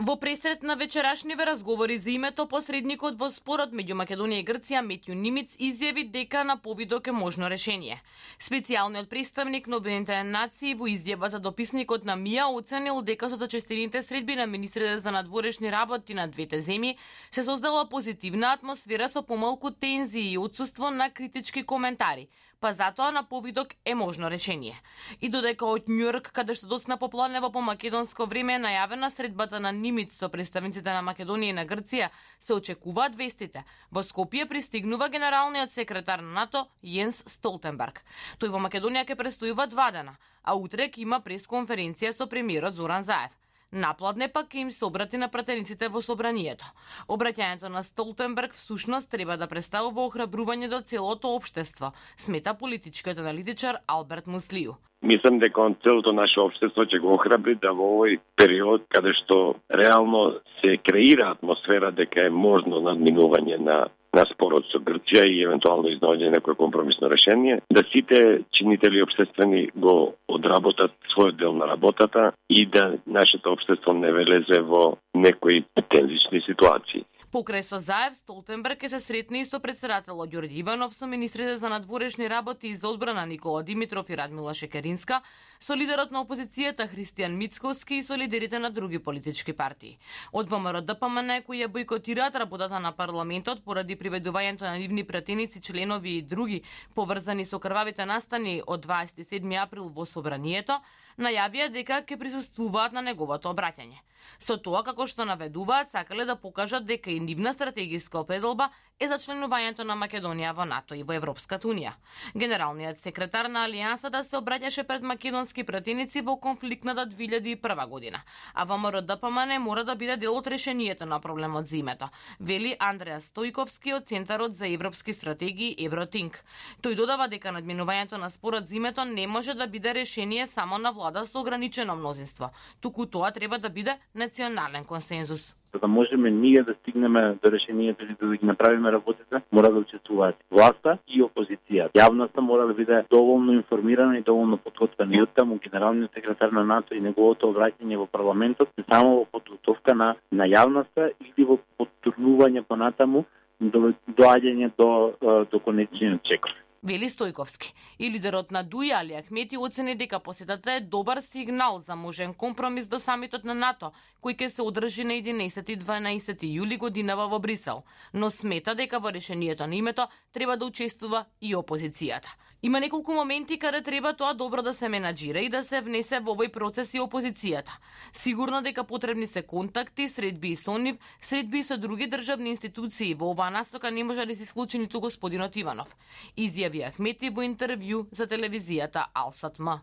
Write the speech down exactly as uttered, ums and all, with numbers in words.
Во пресрет на вечерашниве разговори за името, посредникот во спорот меѓу Македонија и Грција Метју Нимиц изјави дека на повидок е можно решение. Специјалниот представник на Обединетите нации во изјава за дописникот на МИА оценил дека со зачестените средби на министрите за надворешни работи на двете земји се создала позитивна атмосфера со помалку тензии и отсуство на критички коментари, па затоа на повидок е можно решение. И додека од Њујорк, каде што доцна попладнево по македонско време е најавена средбата на Нимиц со представниците на Македонија и на Грција, се очекуваат вестите. Во Скопје пристигнува генералниот секретар на НАТО Јенс Столтенберг. Тој во Македонија ќе престојува два дена, а утре ќе има пресконференција со премиерот Зоран Заев. Напладне пак им се обрати на пратениците во собранието. Обраќањето на Столтенберг всушност треба да представува охрабрување до целото општество, смета политичкиот аналитичар Алберт Муслију. Мислам дека целото наше општество ќе го охрабри да во овој период каде што реално се креира атмосфера дека е можно надминување на на спорот со Грција и евентуално изнаоѓање некое компромисно решение, да сите чинители општествени го одработат својот дел на работата и да нашето општество не влезе во некои тензични ситуации. Покрај со Заев, Столтенберг ќе се сретне и со председателот Ѓорѓе Иванов, со министрите за надворешни работи и за одбрана Никола Димитров и Радмила Шекеринска, со лидерот на опозицијата Христијан Мицковски и со лидерите на други политички партии. Од ВМРО Д П М Н кои ја бојкотираат работата на парламентот поради приведувањето на нивни пратеници, членови и други поврзани со крвавите настани од дваесет и седми април во собранието, најавија дека ќе присуствуваат на неговото обраќање. Со тоа, како што наведуваат, сакале да покажат дека и нивна стратегиска определба е за членувањето на Македонија во НАТО и во Европската унија. Генералниот секретар на Алијансата се обраќаше пред македонски пратеници во конфликтната две илјади и прва година, а ВМРО Д П М Н мора да биде дел од решението на проблемот за името, вели Андреа Стојковски од Центарот за европски стратегии Евротинк. Тој додава дека надминувањето на спорот за името не може да биде решение само на влада со ограничено мнозинство, туку тоа треба да биде национален консензус. За да можеме ние да стигнеме до решението или да ги направиме работите, мора да учествуваат власта и опозицијата. Јавноста мора да биде доволно информирана и доволно подготвена. И оттаму генералниот секретар на НАТО и неговото обраќање во парламентот не само во подготовка на на јавноста или во поттурнување понатаму до доаѓање до до конечниот чекор. Вели Стојковски. И лидерот на ДУИ Али Ахмети оцени дека посетата е добар сигнал за можен компромис до самитот на НАТО, кој ќе се одржи на единаесети и дванаесети јули годинава во Брисел, но смета дека во решението на името треба да учествува и опозицијата. Има неколку моменти каде треба тоа добро да се менаџира и да се внесе во овој процес и опозицијата. Сигурно дека потребни се контакти, средби и со нив, средби и со други државни институции. Во оваа настока не може да се исклучи ниту господинот Иванов, изјави Ахмети во интервју за телевизијата Алсат М.